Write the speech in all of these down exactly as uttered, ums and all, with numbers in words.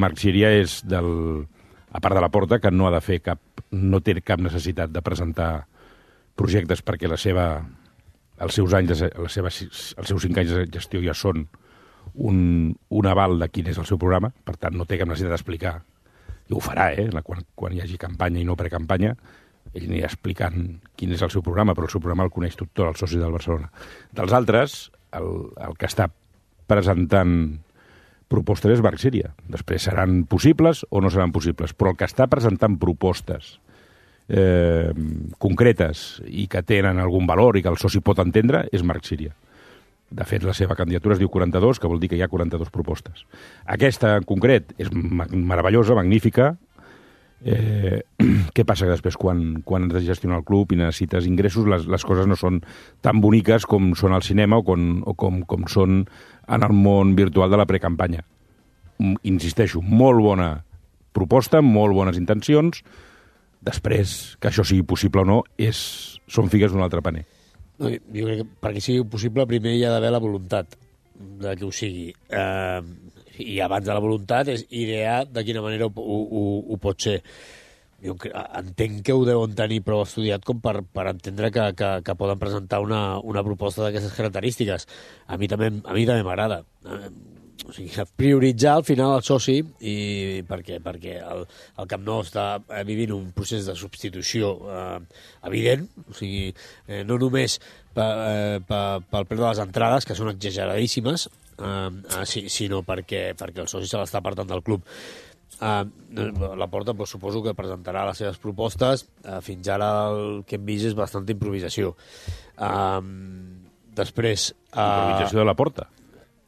Marc Síria és, del, a part de la Porta, que no ha de fer cap, no té cap necessitat de presentar projectes perquè la seva, els seus anys, la seva, els seus cinc anys de gestió ja són un, un aval de quin és el seu programa, per tant no té cap necessitat d'explicar, i ho farà, eh? Quan, quan hi hagi campanya i no precampanya, ell anirà explicant quin és el seu programa, però el seu programa el coneix tot el soci del Barcelona. Dels altres, el, el que està presentant propostes és Marc Síria. Després seran possibles o no seran possibles, però el que està presentant propostes eh, concretes i que tenen algun valor i que el soci pot entendre és Marc Síria. De fet, la seva candidatura es diu quaranta-dos, que vol dir que hi ha quaranta-dues propostes. Aquesta, en concret, és meravellosa, magnífica. Eh, què passa que després, quan, quan has de gestionar el club i necessites ingressos, les, les coses no són tan boniques com són al cinema o, com, o com, com són en el món virtual de la precampanya. Insisteixo, molt bona proposta, molt bones intencions. Després, que això sigui possible o no, és, són figues d'un altre paner. No, jo crec que perquè sigui possible primer hi ha d'haver la voluntat de que ho sigui. Eh, I abans de la voluntat és idear de quina manera ho, ho, ho pot ser. Jo entenc que ho deuen tenir prou estudiat com per, per entendre que, que, que poden presentar una, una proposta d'aquestes característiques. A mi també a mi també m'agrada. Eh, o sigui, prioritzar al final el soci i perquè, perquè el, el Camp Nou està vivint un procés de substitució eh, evident, o sigui, eh, no només per, eh, per, pel preu de les entrades, que són exageradíssimes, eh, sinó perquè, perquè el soci se l'està apartant del club. Uh, la Porta pues, suposo que presentarà les seves propostes. Uh, fins ara el que hem vist és bastanta improvisació. Uh, després... Uh, improvisació de la Porta?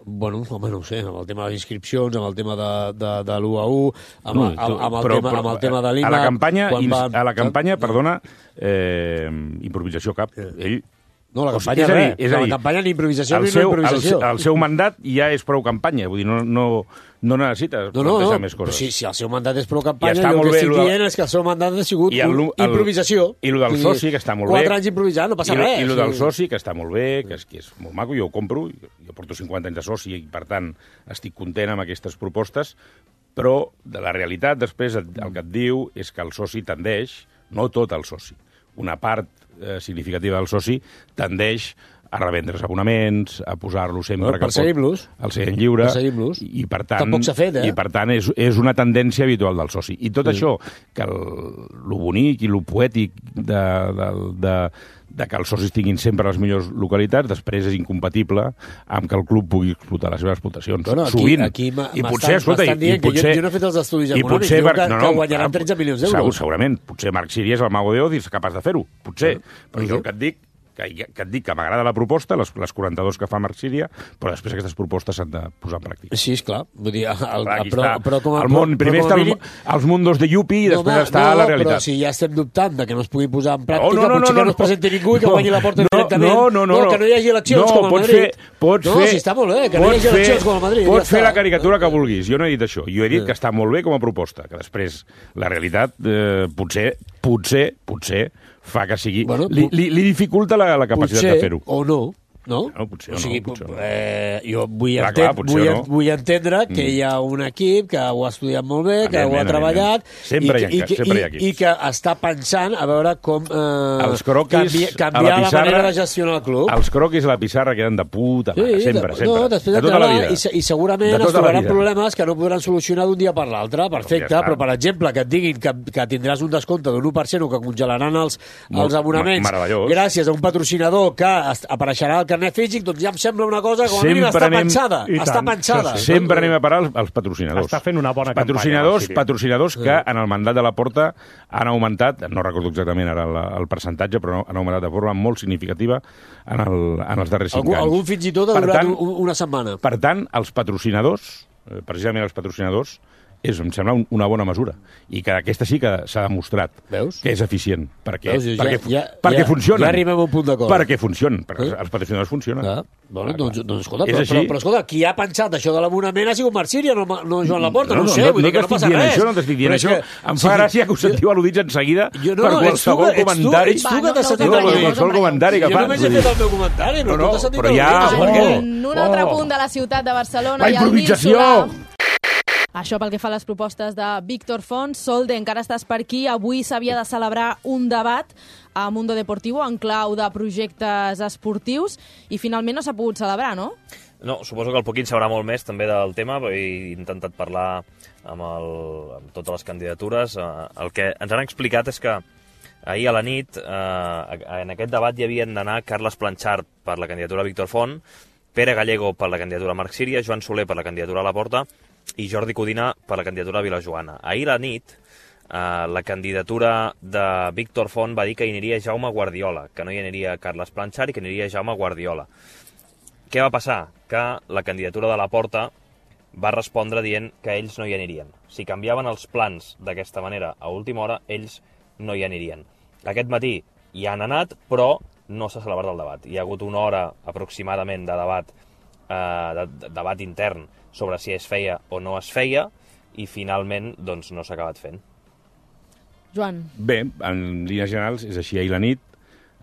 Bueno, home, no ho sé, amb el tema de les inscripcions, amb el tema de, de, de l'u a u, amb, no, amb, amb, el però, tema, però, amb el tema de l'I M A... A la campanya, va... a la campanya perdona, eh, improvisació cap. Ell... No, la campanya o sigui, res. És a dir, la campanya ni improvisació ni seu, no improvisació. El, el seu mandat ja és prou campanya, vull dir, no, no, no necessites no, no, plantejar no. més coses. Si, si el seu mandat és prou campanya, ja el que bé, estic de... dient és que el seu mandat ha sigut el, un, el, improvisació. I el del soci, que està molt bé. Quatre anys improvisant, no passa I, res. I el del soci, que està molt bé, que és, que és molt maco, jo ho compro, jo porto cinquanta anys de soci i, per tant, estic content amb aquestes propostes, però de la realitat, després, el que et diu és que el soci tendeix, no tot el soci, una part eh, significativa del soci tendeix a revendre's abonaments, a posar-lo sempre... Bueno, perseguim-los. Al seient lliure. Perseguim-los. I, per tant, tampoc s'ha fet, eh? I, per tant, és, és una tendència habitual del soci. I tot sí. això, que el, lo bonic i lo poètic de, de, de, de que els socis tinguin sempre les millors localitats, després és incompatible amb que el club pugui explotar les seves explotacions. Bueno, aquí, sovint. Aquí I potser, escolta, i, i potser... Jo, jo no he fet els estudis econòmics, potser, diu que, no, no, que guanyaran tretze milions d'euros. Segur, segurament. Potser Marc Síria és el mago de Oz i és capaç de fer-ho. Potser. Bueno, però jo el que et dic que, que et dic que m'agrada la proposta, les, les quaranta-dues que fa Marc Síria, però després aquestes propostes s'han de posar en pràctica. Sí, esclar. Vull dir, el, clar, però, però com a, el món, primer està mínim... els mundos de Yupi i després no, està no, la realitat. Però si ja estem dubtant de que no es pugui posar en pràctica, no, no, no, potser no, que no es presenti ningú i que no, guanyi la Porta no, directament. No, no, no, no, que no hi hagi eleccions no, com a Madrid. Fer, pots no, fer, si està molt bé, que no hi hagi eleccions com a Madrid. Pots fer la caricatura que vulguis. Jo no he dit això. Jo he dit que està molt bé com a proposta, que després la realitat eh, potser, potser, potser fa que sigui... Bueno, li, li, li dificulta la, la capacitat potser, de fer-ho. O no. No? No, potser o sigui, no, potser no. Eh, jo vull, clar, entendre, clar, vull, no. vull entendre que mm. hi ha un equip que ho ha estudiat molt bé, que ho ha treballat sempre i, hi ha, i, sempre hi ha i, i que està pensant a veure com eh, els croquis canvia, canviar la, la, pissarra, la manera de gestionar el club. Els croquis a la pissarra queden de puta mare, sí, sempre, de, sempre. No, després de tota la vida. I, I segurament es trobaran problemes que no podran solucionar d'un dia per l'altre, perfecte, ja però per exemple que et diguin que, que tindràs un descompte d'un u per cent o que congelaran els, els abonaments gràcies a un patrocinador que apareixerà al carnet físic, doncs ja em sembla una cosa com a mínim està anem, pensada. Està pensada. Sí, sí. Sempre anem a parar als, als patrocinadors. Està fent una bona patrocinadors, campanya. Patrocinadors que en el mandat de la Porta han augmentat, no recordo exactament ara el, el percentatge, però han augmentat de forma molt significativa en, el, en els darrers cinc algú, anys. Algun fins i tot ha durat tant, una setmana. Per tant, els patrocinadors, precisament els patrocinadors, és, em sembla, una bona mesura. I que aquesta sí que s'ha demostrat Veus? que és eficient. Perquè, Veus? perquè, ja, perquè ja, funcionen. Ja arribem a un punt d'acord. Perquè funcionen. Perquè eh? els patrocinadors funcionen. Ah, bueno, ah, doncs, doncs, escolta, però, però, però, escolta, qui ha pensat això de l'abonament ha sigut Marc Síria, no, no Joan Laporta, no, no, no ho sé, no, vull no dir que no passa res. Això, no t'estic dient això. Que, em fa gràcia que us sentiu al·ludits en seguida jo, no, per qualsevol ets tu, comentari. Ets tu, ets tu que t'has sentit no, no, qualsevol comentari que fa. Jo només he fet el meu comentari, però no, tu t'has sentit però ja, al·ludits. En un altre punt de la ciutat de Barcelona la improvisació! Això pel que fa a les propostes de Víctor Font. Solde, encara estàs per aquí. Avui s'havia de celebrar un debat a Mundo Deportivo en clau de projectes esportius i finalment no s'ha pogut celebrar, no? No, suposo que el Poquín sabrà molt més també del tema, perquè he intentat parlar amb, el, amb totes les candidatures. El que ens han explicat és que ahir a la nit, eh, en aquest debat hi havien d'anar Carles Planchart per la candidatura Víctor Font, Pere Gallego per la candidatura Marc Síria, Joan Soler per la candidatura a la Porta i Jordi Codina per la candidatura a Vilajoana. Ahir a la nit, eh, la candidatura de Víctor Font va dir que hi aniria Jaume Guardiola, que no hi aniria Carles Planchart i que hi aniria Jaume Guardiola. Què va passar? Que la candidatura de la Porta va respondre dient que ells no hi anirien. Si canviaven els plans d'aquesta manera a última hora, ells no hi anirien. Aquest matí hi han anat, però no s'ha celebrat el debat. Hi ha hagut una hora aproximadament de debat, eh, de, de debat intern sobre si es feia o no es feia i finalment doncs, no s'ha acabat fent. Joan. Bé, en línies generals és així. Ahir la nit,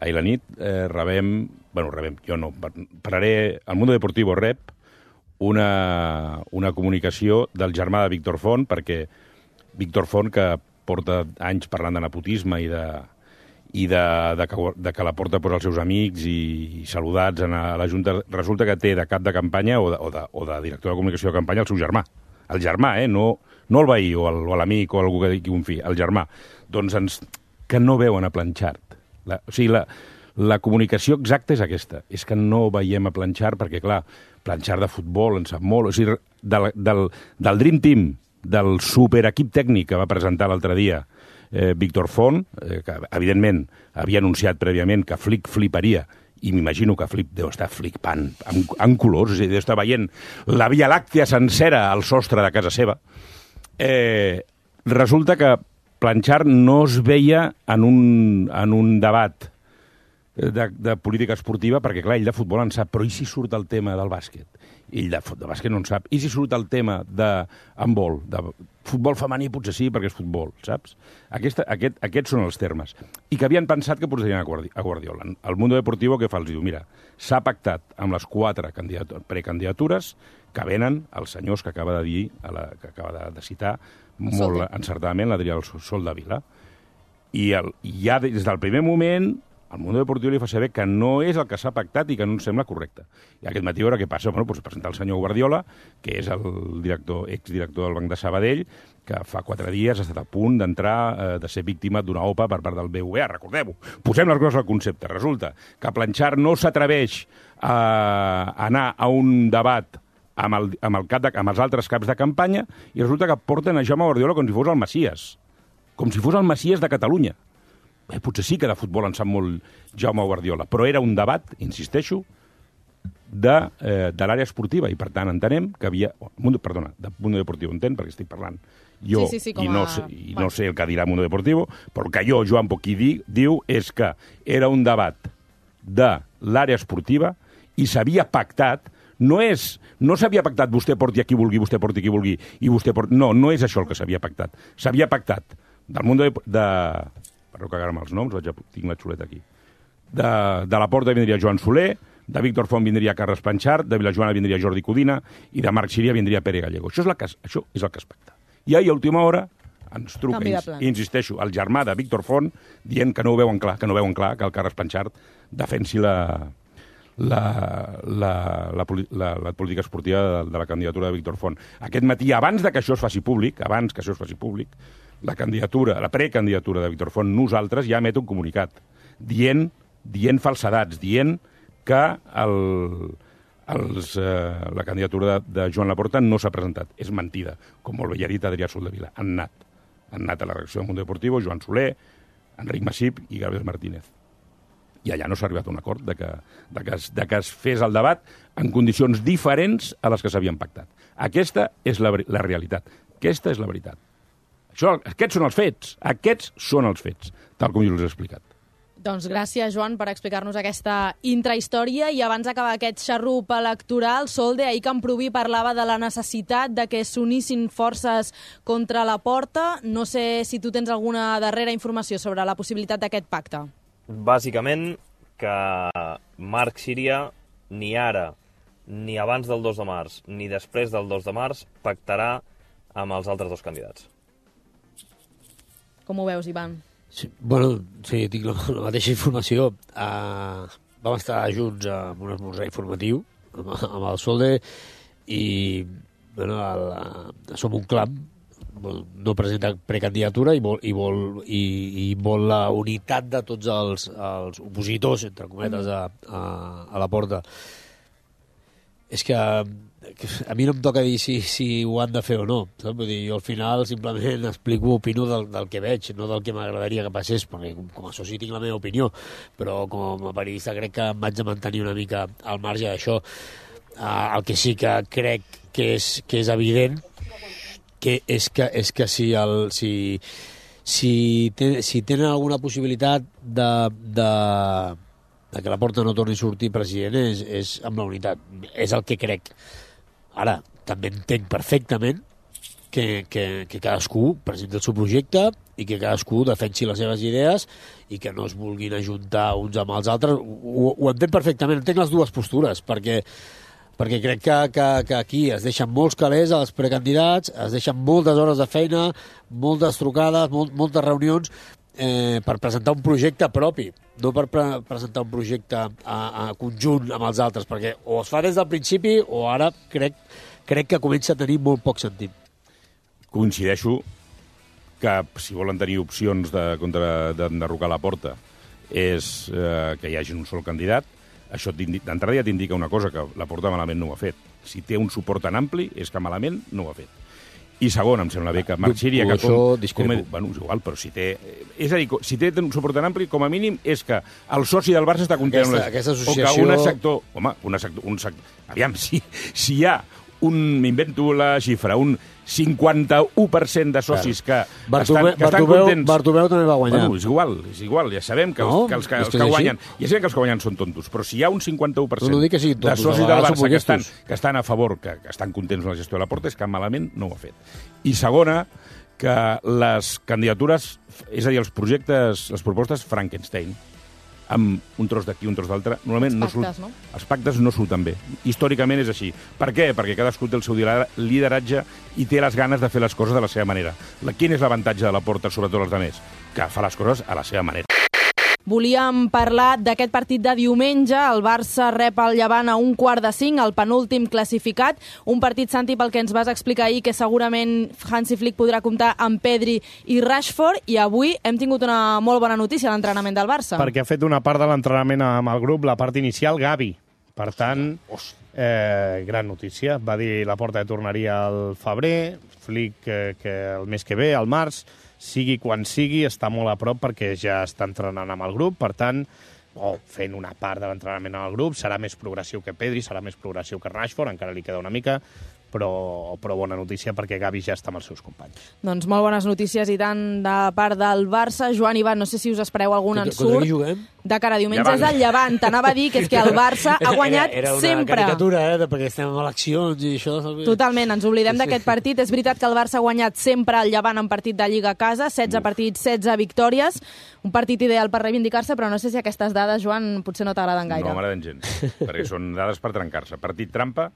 ahir la nit eh, rebem... Bueno, rebem, jo no. Parlaré... El Mundo Deportivo rep una, una comunicació del germà de Víctor Font, perquè Víctor Font, que porta anys parlant de nepotisme i de, i de, de, que, de que la porta per als seus amics i, i saludats a la Junta, resulta que té de cap de campanya o de, o de, o de director de comunicació de campanya el seu germà. El germà, eh? No, no el veí o l'amic o algú que digui un fill, el germà. Doncs ens, que no veuen a Planchart. La, o sigui, la, la comunicació exacta és aquesta, és que no veiem a Planchart perquè, clar, Planchart de futbol en sap molt, o sigui, del, del, del Dream Team, del superequip tècnic que va presentar l'altre dia eh, Víctor Font, eh, que evidentment havia anunciat prèviament que Flick fliparia, i m'imagino que Flip deu estar flipant amb, amb colors, o sigui, deu estar veient la Via Làctia sencera al sostre de casa seva. Eh, resulta que Planchart no es veia en un, en un debat de, de política esportiva, perquè, clar, ell de futbol en sap, però i si surt el tema del bàsquet? Ell de, de bàsquet no en sap. I si surt el tema de handbol, de futbol femení, potser sí, perquè és futbol, saps? Aquesta, aquest, aquests són els termes. I que havien pensat que posarien a, Guardi, a Guardiola. El Mundo Deportivo què fa? Els diu, mira, s'ha pactat amb les quatre precandidatures que venen els senyors que acaba de dir, a la, que acaba de, de citar, molt encertadament l'Adrià Sol de Vila. I el, ja des del primer moment el Mundo Deportivo li fa saber que no és el que s'ha pactat i que no ens sembla correcte. I aquest matí, a veure què passa, bueno, doncs presentar el senyor Guardiola, que és el director, exdirector del Banc de Sabadell, que fa quatre dies ha estat a punt d'entrar, eh, de ser víctima d'una O P A per part del B V A, recordem-ho. Posem les coses al concepte. Resulta que Planchart no s'atreveix a anar a un debat amb, el, amb, el cap de, amb els altres caps de campanya i resulta que porten a Jaume Guardiola com si fos el Messies. Com si fos el Messies de Catalunya. Eh, potser sí que de futbol en sap molt Jaume Guardiola, però era un debat, insisteixo, de, eh, de l'àrea esportiva, i per tant entenem que havia... Mundo, perdona, de Mundo Deportivo entenc, perquè estic parlant jo sí, sí, sí, i, no, a... sé, i no sé el que dirà Mundo Deportivo, però el que jo, Joan Poquí, di, diu és que era un debat de l'àrea esportiva i s'havia pactat. No és, no s'havia pactat vostè porti a qui vulgui, vostè porti a qui vulgui, i vostè porti... No, no és això el que s'havia pactat. S'havia pactat del Mundo de... de perdó que agarra'm els noms, vaig a... tinc la xuleta aquí. De, de la Porta vindria Joan Soler, de Víctor Font vindria Carles Planchart, de Vilajoana vindria Jordi Codina i de Marc Síria vindria Pere Gallego. Això és, la que, això és el que es pacta. I ahir, a última hora, ens truca, ins, insisteixo, el germà de Víctor Font, dient que no ho veuen clar, que no veuen clar que el Carles Planchart defensi la, la, la, la, la, la política esportiva de, de la candidatura de Víctor Font. Aquest matí, abans de que això es faci públic, abans que això es faci públic, la candidatura, la precandidatura de Víctor Font, nosaltres ja emet un comunicat dient, dient falsedats, dient que el, els, eh, la candidatura de, de Joan Laporta no s'ha presentat. És mentida, com molt bé ja ha dit Adrià Soldevila. Han anat. Han anat a la redacció del Mundo Deportivo Joan Soler, Enric Massip i Gabriel Martínez. I allà no s'ha arribat a un acord de que, de, que es, de que es fes el debat en condicions diferents a les que s'havien pactat. Aquesta és la, la realitat. Aquesta és la veritat. Això, aquests són els fets. Aquests són els fets, tal com jo us he explicat. Doncs gràcies, Joan, per explicar-nos aquesta intrahistòria. I abans d'acabar aquest xarrup electoral, Solde, ahir Camproví parlava de la necessitat de que s'unissin forces contra la Porta. No sé si tu tens alguna darrera informació sobre la possibilitat d'aquest pacte. Bàsicament que Marc Síria ni ara, ni abans del dos de març, ni després del dos de març, pactarà amb els altres dos candidats. Com ho veus, Ivan? Sí, bueno, sí, tinc la, la mateixa informació. Uh, vam estar junts en un esmorzar informatiu amb, amb el Solde i bueno, el, uh, som un clam, no presenta precandidatura i vol, i vol, i, i vol la unitat de tots els, els opositors, entre cometes, a, a, a la porta. És que a mi no em toca dir si, si ho han de fer o no. Saps? Vull dir, jo al final simplement explico, opino del, del que veig, no del que m'agradaria que passés, perquè com a soci tinc la meva opinió, però com a periodista crec que em vaig a mantenir una mica al marge d'això. Uh, el que sí que crec que és, que és evident que és que, és que si, el, si, si, ten, si tenen alguna possibilitat de, de, de que la Porta no torni a sortir president és, és amb la unitat. És el que crec. Ara, també entenc perfectament que, que, que cadascú presenti el seu projecte i que cadascú defensi les seves idees i que no es vulguin ajuntar uns amb els altres. Ho, ho entenc perfectament, entenc les dues postures, perquè perquè crec que, que, que aquí es deixen molts calés als precandidats, es deixen moltes hores de feina, moltes trucades, molt, moltes reunions eh, per presentar un projecte propi, no per pre presentar un projecte a, a conjunt amb els altres, perquè o es fa des del principi o ara crec, crec que comença a tenir molt poc sentit. Coincideixo que si volen tenir opcions de, contra d'enderrocar la Porta és eh, que hi hagi un sol candidat. Això d'entrada ja t'indica una cosa, que la Porta malament no ho ha fet. Si té un suport tan ampli, és que malament no ho ha fet. I segon, em sembla bé que Marc Síria... Que com, com, bueno, és igual, però si té... És a dir, si té un suport tan ampli, com a mínim, és que el soci del Barça està content... Aquesta, aquesta associació... O que un sector... Home, un sector... Un sector aviam, si, si hi ha un... M'invento la xifra, un cinquanta-u per cent de socis que, Bartomeu, estan, que estan Bartomeu, contents... Bartomeu també va guanyar. Bueno, és igual, és igual, ja sabem que els, no, que, els, que, els que, que guanyen... Ja sabem que els que guanyen són tontos, però si hi ha un cinquanta-u per cent no, no que tontos, de socis del Barça que estan, que estan a favor, que, que estan contents amb la gestió de la Porta, és que malament no ho ha fet. I segona, que les candidatures, és a dir, els projectes, les propostes Frankenstein, amb un tros d'aquí, un tros d'altre, normalment els pactes, no, no? Els pactes no surten bé. Històricament és així. Per què? Perquè cadascú té el seu lideratge i té les ganes de fer les coses de la seva manera. La, quin és l'avantatge de la Porta sobre tots els altres? Que fa les coses a la seva manera. Volíem parlar d'aquest partit de diumenge. El Barça rep el Llevant a un quart de cinc, el penúltim classificat. Un partit, Santi, pel que ens vas explicar ahir, que segurament Hansi Flick podrà comptar amb Pedri i Rashford. I avui hem tingut una molt bona notícia a l'entrenament del Barça. Perquè ha fet una part de l'entrenament amb el grup, la part inicial, Gavi. Per tant, eh, gran notícia. Va dir la Porta que tornaria al febrer, Flick eh, que el mes que ve, al març, sigui quan sigui, està molt a prop perquè ja està entrenant amb el grup, per tant, oh, fent una part de l'entrenament amb el grup, serà més progressiu que Pedri, serà més progressiu que Rashford, encara li queda una mica, però, però bona notícia perquè Gavi ja està amb els seus companys. Doncs molt bones notícies i tant de part del Barça. Joan, Ivan, no sé si us espereu algun ensurt. Contra qui juguem? De cara a diumenge és el Llevant. T'anava a dir que és que el Barça ha guanyat era, era una sempre. Era una caricatura, eh, perquè estem en eleccions i això... Totalment, ens oblidem sí. d'aquest partit. És veritat que el Barça ha guanyat sempre el Llevant en partit de Lliga a casa, setze Uf. partits, setze victòries. Un partit ideal per reivindicar-se, però no sé si aquestes dades, Joan, potser no t'agraden gaire. No m'agraden gens, perquè són dades per trencar-se. Partit trampa,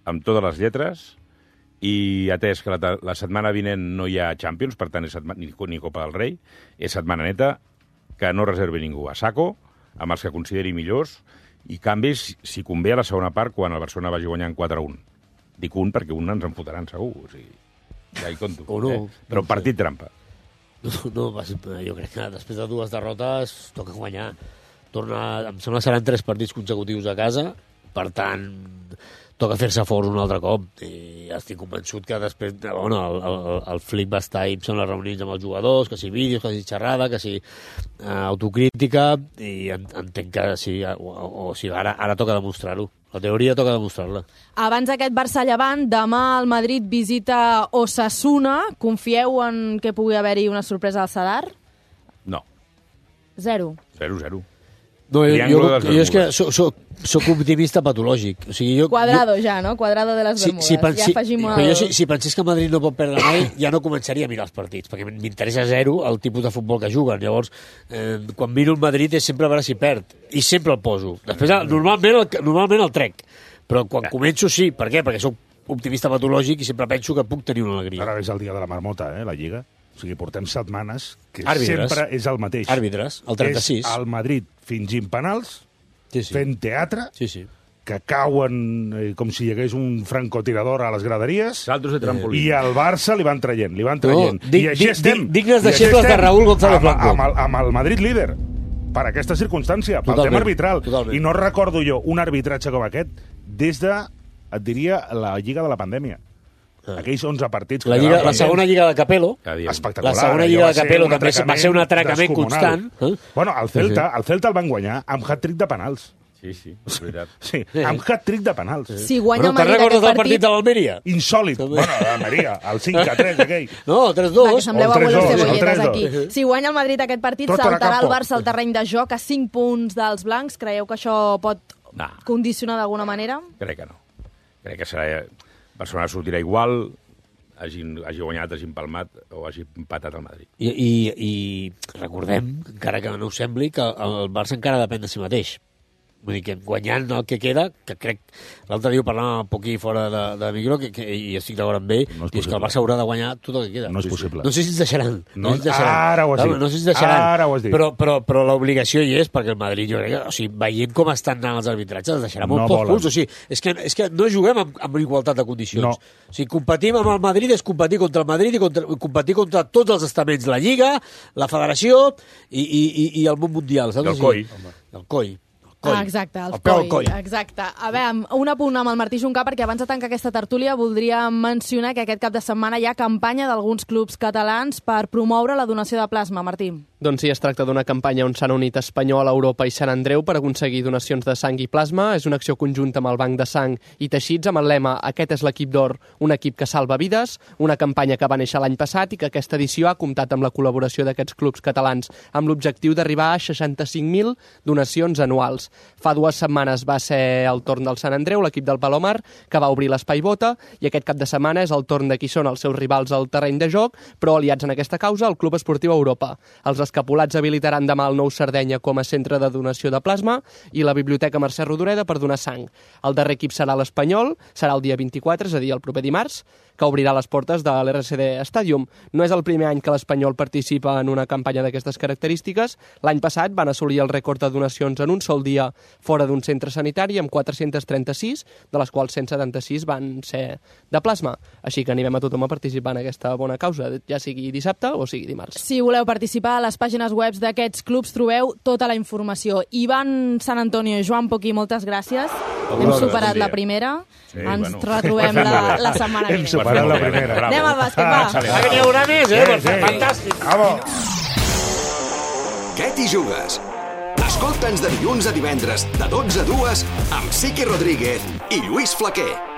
amb totes les lletres, i atès que la, la setmana vinent no hi ha Champions, per tant, és setmana, ni, ni Copa del Rei, és setmana neta, que no reservi ningú a saco, amb els que consideri millors, i canvis, si convé, a la segona part, quan el Barcelona vagi guanyant quatre a un. Dic un perquè un ens en fotran, segur. O sigui, ja hi compto. O no. Eh? Però partit trampa. No, no, jo crec que després de dues derrotes toca guanyar. Torna, em sembla que seran tres partits consecutius a casa, per tant, toca fer-se fort un altre cop. I estic convençut que després, bueno, el, el, el Flick va estar ahir en les reunions amb els jugadors, que si vídeos, que si xerrada, que si uh, autocrítica, i entenc que sí, o, o, o sigui, ara, ara toca demostrar-ho. La teoria toca demostrar-la. Abans d'aquest Barça-Llevant, demà el Madrid visita Osasuna. Confieu en que pugui haver-hi una sorpresa al Sadar? No. Zero. Zero, zero. No, jo, jo, jo és que soc, soc, soc optimista patològic. O sigui, jo, Quadrado jo, ja, no? Quadrado de les Bermudes. Si, si, ja si, afegim el... però jo, si, si pensés que Madrid no pot perdre mai, ja no començaria a mirar els partits, perquè m'interessa zero el tipus de futbol que juguen. Llavors, eh, quan miro el Madrid és sempre a veure si perd, i sempre el poso. Després, normalment el, normalment el trec, però quan començo sí. Per què? Perquè soc optimista patològic i sempre penso que puc tenir una alegria. Ara és el dia de la marmota, eh, la Lliga. O sigui, portem setmanes que Àrbitres. sempre és el mateix. Àrbitres, el trenta-sis. És el Madrid fingint penals, Sí, sí. fent teatre, Sí, sí. que cauen eh, com si hi hagués un francotirador a les graderies, Saltos de trampolí. i al Barça li van traient, li van traient. No, dig- I així dig- estem. dig- dignes I així deixebles de estem Raúl González amb, Blanco. amb, el, amb el Madrid líder, per aquesta circumstància, pel Totalment, tema arbitral. totalment. I no recordo jo un arbitratge com aquest des de, et diria, la Lliga de la pandèmia. Ah. Aquells onze partits... que La, lliga, quedaven la segona lliga de Capello, Cada dia. espectacular. La segona allò lliga va de ser Capello un també va ser un atracament descomunal. constant. Eh? Bueno, el Celta, el Celta el van guanyar amb hat-trick de penals. Sí, sí, és veritat. Sí, amb hat-trick de penals. Si guanya Bueno, el te'n Madrid recordes aquest del partit partit... de l'Almeria? Insòlid. També. Bueno, la Maria, el cinc a tres aquell. No, tres Va, dos. que sembleu el tres abuelos dos, el cebolletes tres aquí. dos. Si guanya el Madrid aquest partit, Tot era saltarà el campo. Barça al terreny de joc a cinc punts dels blancs. Creieu que això pot No, condicionar d'alguna manera? crec que no. Crec que serà... Barcelona sortirà igual, hagin, hagi guanyat, hagi empalmat o hagi empatat al Madrid. I, i, I recordem, encara que no ho sembli, que el Barça encara depèn de si mateix. Vull dir que guanyant el que queda, que crec... L'altre dia ho parlàvem un poquí fora de, de micro, que, que, i estic d'acord amb ell, No és i és que el possible. Barça haurà de guanyar tot el que queda. No és possible. No sé si ens deixaran. No, No, sé si ens deixaran. ara ho has Clar, dit. No sé si ens deixaran. Ara ho has dit. Però, però, però l'obligació hi és, perquè el Madrid, jo crec que, o sigui, veient com estan anant els arbitratges, els deixarà molt No pocs volen. punts. O sigui, és que, és que no juguem amb, amb igualtat de condicions. No. O sigui, competim amb el Madrid és competir contra el Madrid i contra, competir contra tots els estaments, la Lliga, la Federació i, i, i, i el món mundial. Saps? I el O sigui, coi. El coi. Ah, exacte, el, el peu al coll. coll. Exacte. A veure, un apunt amb el Martí Juncà, perquè abans de tancar aquesta tertúlia voldria mencionar que aquest cap de setmana hi ha campanya d'alguns clubs catalans per promoure la donació de plasma. Martí. Doncs sí, es tracta d'una campanya on s'han unit Espanyol, Europa i Sant Andreu per aconseguir donacions de sang i plasma. És una acció conjunta amb el Banc de Sang i Teixits amb el lema "Aquest és l'equip d'or, un equip que salva vides", una campanya que va néixer l'any passat i que aquesta edició ha comptat amb la col·laboració d'aquests clubs catalans amb l'objectiu d'arribar a seixanta-cinc mil donacions anuals. Fa dues setmanes va ser el torn del Sant Andreu, l'equip del Palomar, que va obrir l'espai Bota, i aquest cap de setmana és el torn de qui són els seus rivals al terreny de joc, però aliats en aquesta causa, el Club Esportiu Europa. Els escapulats habilitaran demà el Nou Sardenya com a centre de donació de plasma i la Biblioteca Mercè Rodoreda per donar sang. El darrer equip serà l'Espanyol, serà el dia vint-i-quatre, és a dir, el proper dimarts, que obrirà les portes de l'R C D Stadium. No és el primer any que l'Espanyol participa en una campanya d'aquestes característiques. L'any passat van assolir el rècord de donacions en un sol dia fora d'un centre sanitari amb quatre-cents trenta-sis, de les quals cent setanta-sis van ser de plasma. Així que animem a tothom a participar en aquesta bona causa, ja sigui dissabte o sigui dimarts. Si voleu participar, a les pàgines web d'aquests clubs trobeu tota la informació. Ivan Sant Antonio i Joan Poquí, moltes gràcies. Hem vosaltres, superat bon dia. la primera. Sí, Ens bueno. retrobem la, la setmana que Hem ve. superat la primera. Bravo. Anem al bàsquet, va. Ah, que n'hi haurà més, eh? Sí, sí. Fantàstic. Vamos. Què t'hi jugues? Escolta'ns de dilluns a divendres, de dotze a dues, amb Siqui Rodríguez i Lluís Flaquer.